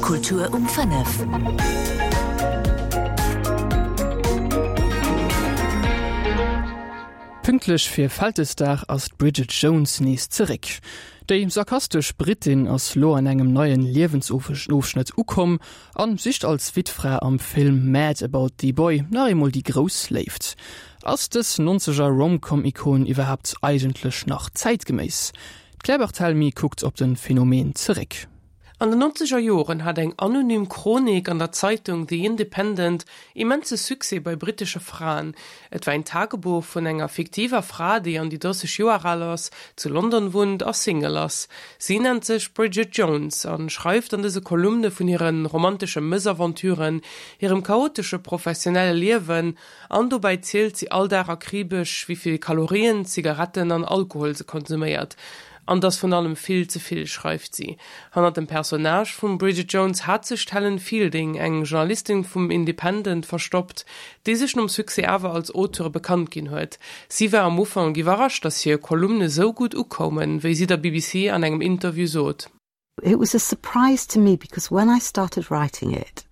Kultur um 5. Pünktlech fir Vältesdag ass d'Bridget Jones nees zeréck. Déi sarkastesch Brittin ass lo an engem neien Liewensofschnëtt ukomm an sicht als Wittfra am Film Mad About The Boy nach eemol déi grouss Léift. Ass dës nonzeger Rom-Com-Ikon iwwerhaapt eigentlech nach zäitgeméiss? D'Claire Barthelmy kuckt op de Phänomen zeréck. An den nonzeger Joren hat eng anonym Chronik an der Zeitung The Independent immense Succès bei brittesche Fraen. Et war een Tagebuch vun enger fiktiver Fra, déi an déi 30 Joer al ass, zu London wunnt a Single ass. Si nennt sech Bridget Jones a schreift an dëse Kolumne vun hire romantesche Mëssaventuren, hirem chaotesche professionelle Liewen an dobäi zielt si all Dag akribesch, wéi vill Kalorien, Zigaretten an Alkohol se konsuméiert. An 't ass vun allem vill ze vill, schreift si. Hannert dem Personnage vum Bridget Jones hat sech d'Helen Fielding, eng Journalistin vum Independent, verstoppt, déi sech nom Succès awer als Auteure bekannt ginn huet. Si war am Ufank iwwerrascht, datt hir Kolumne sou gutt ukoumen, wéi si der BBC an engem Interview sot. It was a surprise to me because when I started writing it,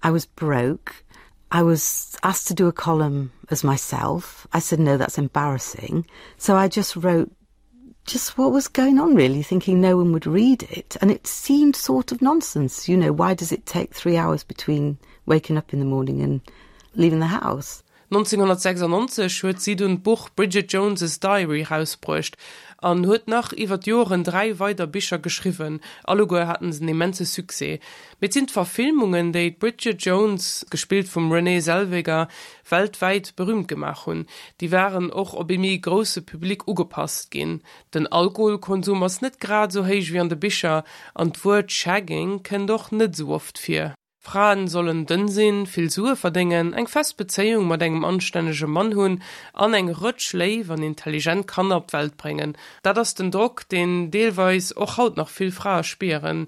I was broke. I was asked to do a column as myself. I said, no, that's embarrassing. So I just wrote just what was going on really thinking no one would read it and it seemed sort of nonsense you know why does it take three hours between waking up in the morning and leaving the house 1996 huet si dunn d'Buch Bridget Jones's Diary rausbruecht an huet nach iwwer d'Joren 3 weider Bicher geschriwwen. Alleguer haten se en immense Succès. Mee et sinn d'Verfilmungen, déi d'Bridget Jones, gespillt vum Renée Zellweger, weltwäit berüümt gemaach hunn. Déi waren och op ee méi grousse Public ugepasst ginn. Den Alkoholkonsum ass net grad esou héich wéi an de Bicher an d'Wuert Shagging kënnt och net esou oft vir. Fraen sollen dënn sinn, vill Sue verdéngen, eng fest Bezéiung mat engem anstännege Mann hunn an eng Rëtsch léif an intelligent Kanner op d'Welt bréngen. Dat ass den Drock, deen deelweis och haut nach vill Frae spieren.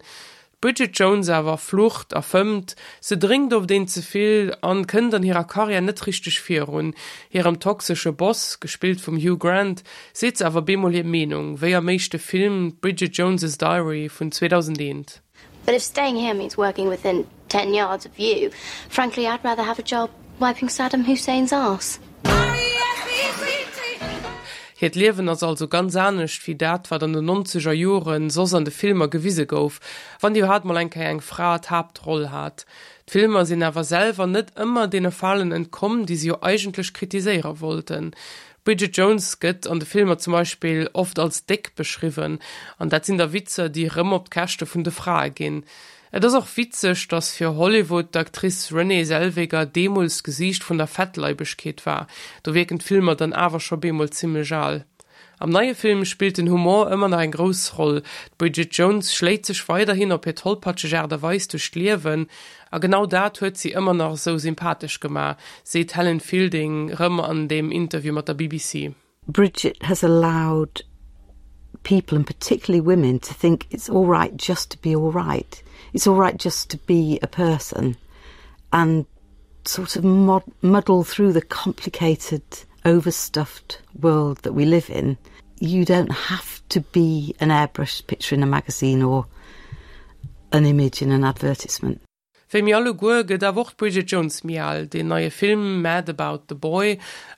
D'Bridget Jones awer flucht a fëmmt, se drénkt oft een ze vill an kënnt an hirer Karriär net richteg virun. Hirem toxesche Boss, gespillt vum Hugh Grant, seet se awer bemol hir Meenung, wéi am éischte Film Bridget Jones's Diary vun 2001. But if staying here means working within 10 yards of you, frankly I'd rather have a job wiping Saddam Hussein's arse. Hiert Liewen ass also ganz anescht wéi dat, wat an den nonzeger Joren soss an de Filmer gewise gouf, wann iwwerhaapt mol eng Kéier eng Fra d'Haaptroll hat. D'Filmer sinn awer selwer net ëmmer deene Falen entkomm, déi se jo eigentlech kritiséiere wollten. D'Bridget Jones gëtt an de Filmer zum Beispill oft als déck beschriwwen, an dat sinn da Witzer, déi rëm op d'Käschte vun de Frae ginn. Et ass och witzeg, datt fir Hollywood d'Actrice Renée Zellweger deemools d'Gesiicht vun der Fettleibegkeet war. Do wierken d'Filmer dann awer scho bemol zimmlech al. Am neie Film spillt den Humor ëmmer nach eng grouss Roll. D'Bridget Jones schléit sech weiderhin op hir tollpatscheg Aart a Weis duerch d'Liewen, a genau dat huet si ëmmer nach esou sympathesch gemaach, seet d'Helen Fielding rëm an deem Interview mat der BBC. Bridget has allowed people and particularly women to think it's all right just to be all right. It's all right just to be a person and sort of mod muddle through the complicated overstuffed world that we live in. You don't have to be an airbrushed picture in a magazine or an image in an advertisement. Wéi mir alleguer gëtt awer och d'Bridget Jones méi al. Deen neie Film Mad About the Boy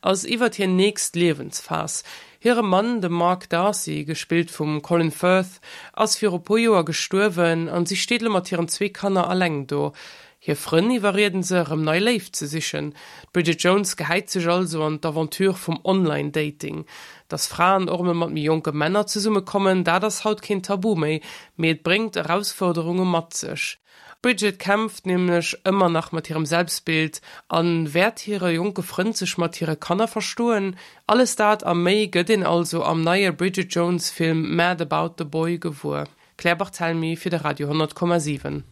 ass iwwert hir nächst Liewensphas. Hire Mann, de Mark Darcy, gespillt vum Colin Firth, ass viru puer Joer gestuerwen an si steet elo mat hiren zwee Kanner alleng do. Hir Frënn iwwerrieden se, erëm nei Léift ze sichen. D'Bridget Jones gehäit sech also an d'Aventure vum Online-Dating. Dass Fraen och emol mat méi jonke Männer zesummekommen, dat ass haut keen Tabu méi, mee et bréngt Erausfuerderunge mat sech. D'Bridget kämpft nämlech ëmmer nach mat hirem Selbstbild a wäert hire jonke Frënd sech mat hire Kanner verstoen? Alles dat a méi gëtt een also am neie Bridget Jones Film Mad About the Boy gewuer. Claire Barthelmy fir de Radio 100,7.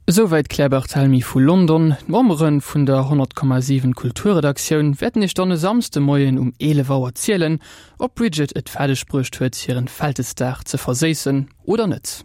Esouwäit d'Claire Barthelmy vu London. D'Membere vun der 100,7 Kulturredaktioun wäerten iech dann e Samsdemoien um 11 Auer zielen, ob d'Bridget et fäerdeg bruecht huet, hiren Vältesdag ze verséissen oder net.